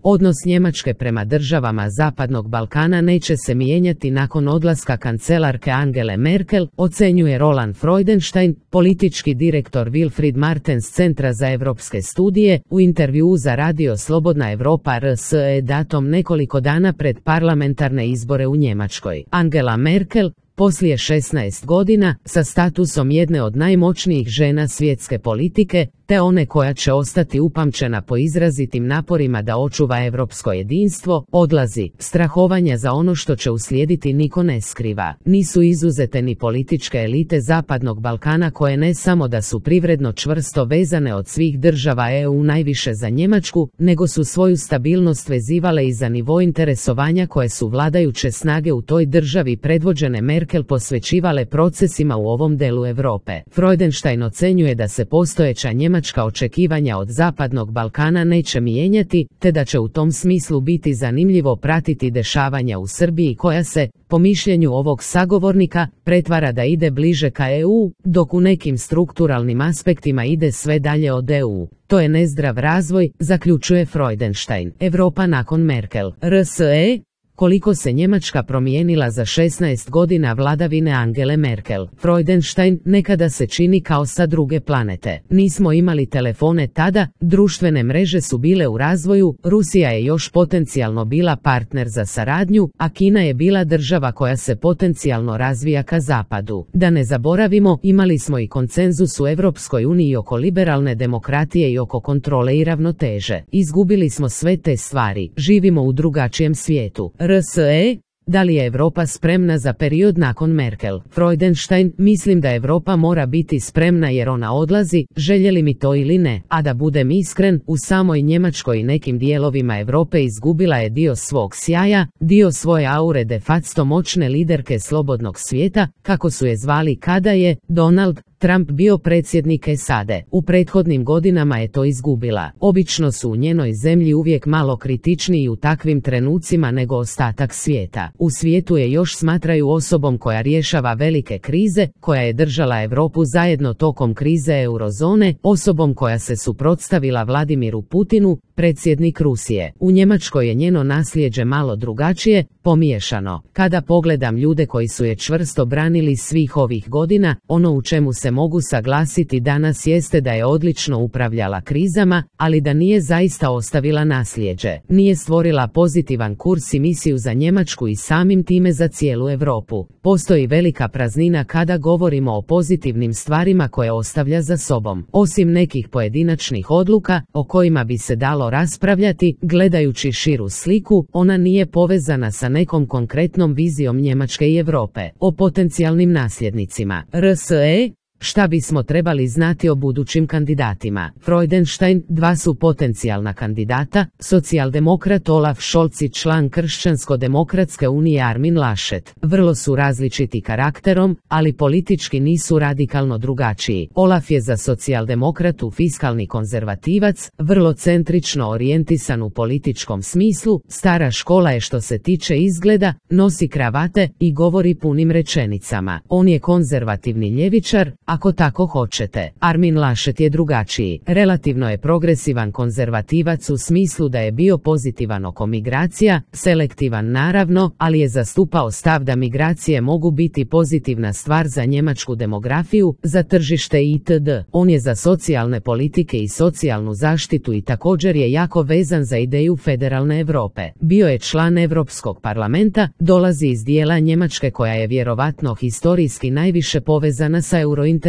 Odnos Njemačke prema državama Zapadnog Balkana neće se mijenjati nakon odlaska kancelarke Angele Merkel, ocenjuje Roland Freudenstein, politički direktor Wilfried Martens Centra za europske studije, u intervjuu za radio Slobodna Europa RSE datom nekoliko dana pred parlamentarne izbore u Njemačkoj. Angela Merkel, poslije 16 godina, sa statusom jedne od najmoćnijih žena svjetske politike, te one koja će ostati upamćena po izrazitim naporima da očuva europsko jedinstvo, odlazi. Strahovanja za ono što će uslijediti niko ne skriva. Nisu izuzete ni političke elite Zapadnog Balkana koje ne samo da su privredno čvrsto vezane od svih država EU najviše za Njemačku, nego su svoju stabilnost vezivale i za nivo interesovanja koje su vladajuće snage u toj državi predvođene Merkel posvećivale procesima u ovom delu Europe. Freudenstein ocenjuje da se postojeća njemačka očekivanja od Zapadnog Balkana neće mijenjati, te da će u tom smislu biti zanimljivo pratiti dešavanja u Srbiji koja se, po mišljenju ovog sagovornika, pretvara da ide bliže ka EU, dok u nekim strukturalnim aspektima ide sve dalje od EU. To je nezdrav razvoj, zaključuje Freudenstein. Europa nakon Merkel. RSE. Koliko se Njemačka promijenila za 16 godina vladavine Angele Merkel. Freudenstein, nekada se čini kao sa druge planete. Nismo imali telefone tada, društvene mreže su bile u razvoju, Rusija je još potencijalno bila partner za saradnju, a Kina je bila država koja se potencijalno razvija ka zapadu. Da ne zaboravimo, imali smo i konsenzus u Europskoj uniji oko liberalne demokratije i oko kontrole i ravnoteže. Izgubili smo sve te stvari, živimo u drugačijem svijetu. RSE. Da li je Europa spremna za period nakon Merkel? Freudenstein, mislim da Europa mora biti spremna jer ona odlazi, željeli mi to ili ne, a da budem iskren, u samoj Njemačkoj i nekim dijelovima Europe izgubila je dio svog sjaja, dio svoje aure de facto moćne liderke slobodnog svijeta, kako su je zvali kada je Donald Trump bio predsjednik SAD-a. U prethodnim godinama je to izgubila. Obično su u njenoj zemlji uvijek malo kritičniji u takvim trenucima nego ostatak svijeta. U svijetu je još smatraju osobom koja rješava velike krize, koja je držala Europu zajedno tokom krize eurozone, osobom koja se suprotstavila Vladimiru Putinu, predsjednik Rusije. U Njemačkoj je njeno nasljeđe malo drugačije, pomiješano. Kada pogledam ljude koji su je čvrsto branili svih ovih godina, ono u čemu se mogu saglasiti danas jeste da je odlično upravljala krizama, ali da nije zaista ostavila nasljeđe. Nije stvorila pozitivan kurs i misiju za Njemačku i samim time za cijelu Europu. Postoji velika praznina kada govorimo o pozitivnim stvarima koje ostavlja za sobom. Osim nekih pojedinačnih odluka, o kojima bi se dalo raspravljati, gledajući širu sliku, ona nije povezana sa nekom konkretnom vizijom Njemačke i Europe. O potencijalnim nasljednicima. RSE. Šta bismo trebali znati o budućim kandidatima? Freudenstein, dva su potencijalna kandidata, socijaldemokrat Olaf Scholz i član Kršćansko-demokratske unije Armin Laschet. Vrlo su različiti karakterom, ali politički nisu radikalno drugačiji. Olaf je za socijaldemokratu fiskalni konzervativac, vrlo centrično orijentisan u političkom smislu, stara škola je što se tiče izgleda, nosi kravate i govori punim rečenicama. On je konzervativni ljevičar, ako tako hoćete. Armin Laschet je drugačiji. Relativno je progresivan konzervativac u smislu da je bio pozitivan oko migracija, selektivan naravno, ali je zastupao stav da migracije mogu biti pozitivna stvar za njemačku demografiju, za tržište itd. On je za socijalne politike i socijalnu zaštitu i također je jako vezan za ideju federalne Europe. Bio je član Europskog parlamenta, dolazi iz dijela Njemačke koja je vjerovatno historijski najviše povezana sa eurointegracijama.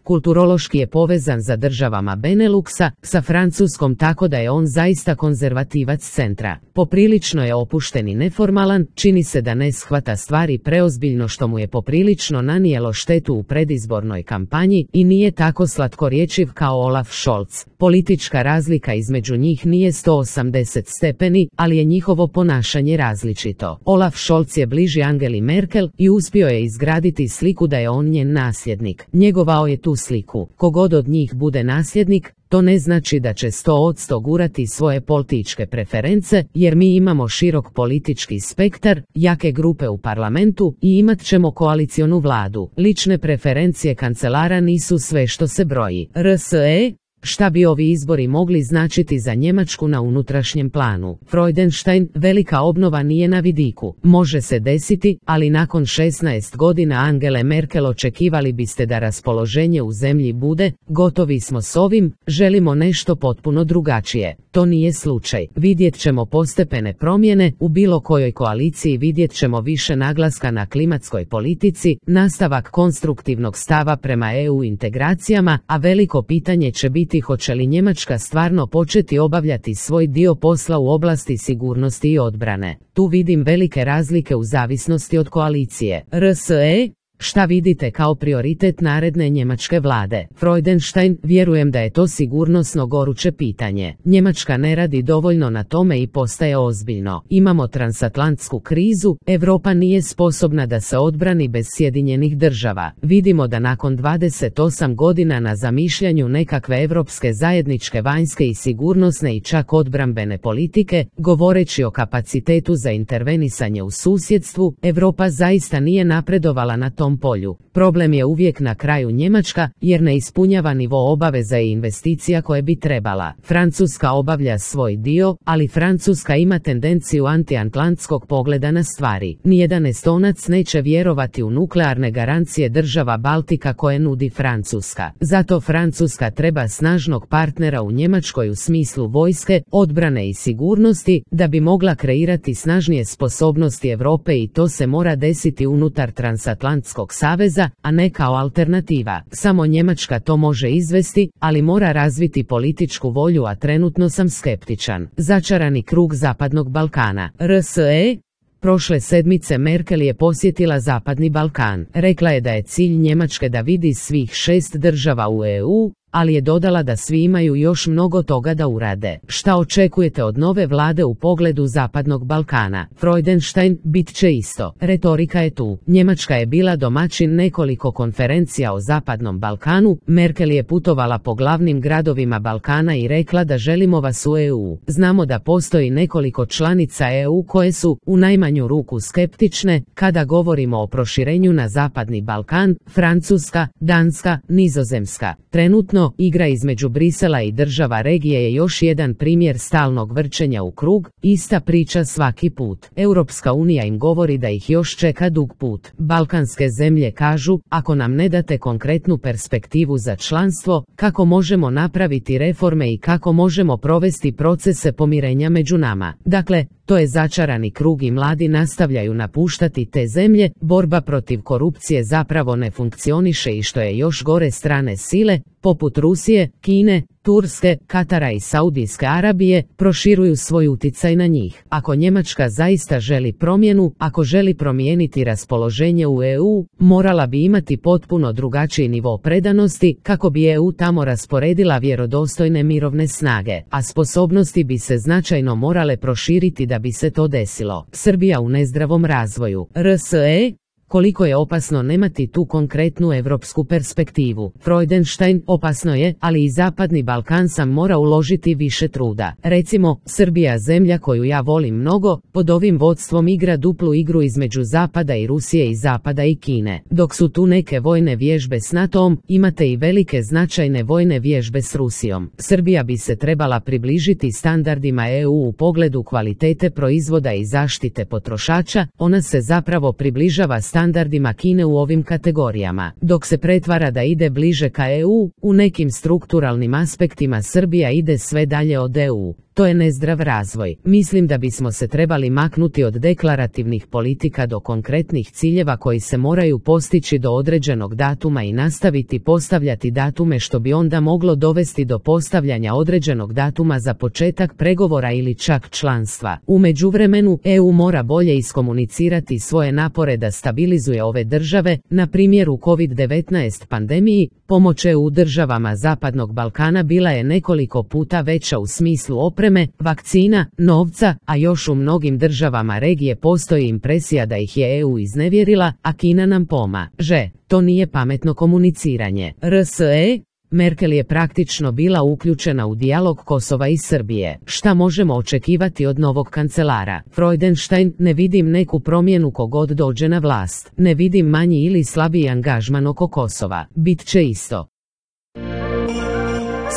Kulturološki je povezan za državama Beneluxa, sa Francuskom, tako da je on zaista konzervativac centra. Poprilično je opušten i neformalan, čini se da ne shvata stvari preozbiljno što mu je poprilično nanijelo štetu u predizbornoj kampanji i nije tako slatkorječiv kao Olaf Scholz. Politička razlika između njih nije 180 stepeni, ali je njihovo ponašanje različito. Olaf Scholz je bliži Angeli Merkel i uspio je izgraditi sliku da je on njen nasljednik. Njegovao je tu sliku. Kogod od njih bude nasljednik, to ne znači da će 100% gurati svoje političke preference, jer mi imamo širok politički spektar, jake grupe u parlamentu i imat ćemo koalicionu vladu. Lične preferencije kancelara nisu sve što se broji. RSE. Šta bi ovi izbori mogli značiti za Njemačku na unutrašnjem planu? Freudenstein, velika obnova nije na vidiku. Može se desiti, ali nakon 16 godina Angele Merkel očekivali biste da raspoloženje u zemlji bude, gotovi smo s ovim, želimo nešto potpuno drugačije. To nije slučaj. Vidjet ćemo postepene promjene, u bilo kojoj koaliciji vidjet ćemo više naglaska na klimatskoj politici, nastavak konstruktivnog stava prema EU integracijama, a veliko pitanje će biti hoće li Njemačka stvarno početi obavljati svoj dio posla u oblasti sigurnosti i odbrane. Tu vidim velike razlike u zavisnosti od koalicije. RSE, šta vidite kao prioritet naredne njemačke vlade? Freudenstein, vjerujem da je to sigurnosno goruće pitanje. Njemačka ne radi dovoljno na tome i postaje ozbiljno. Imamo transatlantsku krizu, Europa nije sposobna da se odbrani bez Sjedinjenih država. Vidimo da nakon 28 godina na zamišljanju nekakve europske zajedničke vanjske i sigurnosne i čak odbrambene politike, govoreći o kapacitetu za intervenisanje u susjedstvu, Europa zaista nije napredovala na tom polju. Problem je uvijek na kraju Njemačka, jer ne ispunjava nivo obaveza i investicija koje bi trebala. Francuska obavlja svoj dio, ali Francuska ima tendenciju antiatlantskog pogleda na stvari. Nijedan Estonac neće vjerovati u nuklearne garancije država Baltika koje nudi Francuska. Zato Francuska treba snažnog partnera u Njemačkoj u smislu vojske, odbrane i sigurnosti, da bi mogla kreirati snažnije sposobnosti Europe i to se mora desiti unutar transatlantskog saveza, a ne kao alternativa. Samo Njemačka to može izvesti, ali mora razviti političku volju, a trenutno sam skeptičan. Začarani krug Zapadnog Balkana. RSE. Prošle sedmice Merkel je posjetila Zapadni Balkan. Rekla je da je cilj Njemačke da vidi svih 6 država u EU, ali je dodala da svi imaju još mnogo toga da urade. Šta očekujete od nove vlade u pogledu Zapadnog Balkana? Freudenstein, bit će isto. Retorika je tu. Njemačka je bila domaćin nekoliko konferencija o Zapadnom Balkanu, Merkel je putovala po glavnim gradovima Balkana i rekla da želimo vas u EU. Znamo da postoji nekoliko članica EU koje su, u najmanju ruku, skeptične, kada govorimo o proširenju na Zapadni Balkan, Francuska, Danska, Nizozemska. Trenutno, igra između Brisela i država regije je još jedan primjer stalnog vrčenja u krug, ista priča svaki put. Europska unija im govori da ih još čeka dug put. Balkanske zemlje kažu, ako nam ne date konkretnu perspektivu za članstvo, kako možemo napraviti reforme i kako možemo provesti procese pomirenja među nama. Dakle, to je začarani krug i mladi nastavljaju napuštati te zemlje, borba protiv korupcije zapravo ne funkcioniše i što je još gore, strane sile, poput Rusije, Kine, Turske, Katara i Saudijske Arabije, proširuju svoj utjecaj na njih. Ako Njemačka zaista želi promjenu, ako želi promijeniti raspoloženje u EU, morala bi imati potpuno drugačiji nivo predanosti kako bi EU tamo rasporedila vjerodostojne mirovne snage, a sposobnosti bi se značajno morale proširiti da bi se to desilo. Srbija u nezdravom razvoju. RSE. Koliko je opasno nemati tu konkretnu europsku perspektivu? Freudenstein, opasno je, ali i Zapadni Balkan sam mora uložiti više truda. Recimo, Srbija, zemlja koju ja volim mnogo, pod ovim vodstvom igra duplu igru između Zapada i Rusije i Zapada i Kine. Dok su tu neke vojne vježbe s NATO-om, imate i velike značajne vojne vježbe s Rusijom. Srbija bi se trebala približiti standardima EU u pogledu kvalitete proizvoda i zaštite potrošača, ona se zapravo približava standardima Kine u ovim kategorijama. Dok se pretvara da ide bliže ka EU, u nekim strukturalnim aspektima Srbija ide sve dalje od EU. To je nezdrav razvoj. Mislim da bismo se trebali maknuti od deklarativnih politika do konkretnih ciljeva koji se moraju postići do određenog datuma i nastaviti postavljati datume, što bi onda moglo dovesti do postavljanja određenog datuma za početak pregovora ili čak članstva. U međuvremenu, EU mora bolje iskomunicirati svoje napore da stabilizuje ove države, na primjer u COVID-19 pandemiji. Pomoć EU državama Zapadnog Balkana bila je nekoliko puta veća u smislu opreme, vakcina, novca, a još u mnogim državama regije postoji impresija da ih je EU iznevjerila, a Kina nam pomaže. To nije pametno komuniciranje. RSE. Merkel je praktično bila uključena u dijalog Kosova i Srbije. Šta možemo očekivati od novog kancelara? Freudenstein, ne vidim neku promjenu kogod dođe na vlast. Ne vidim manji ili slabiji angažman oko Kosova. Bit će isto.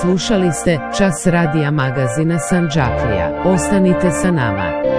Slušali ste Čas radija magazina Sandžaklija. Ostanite sa nama.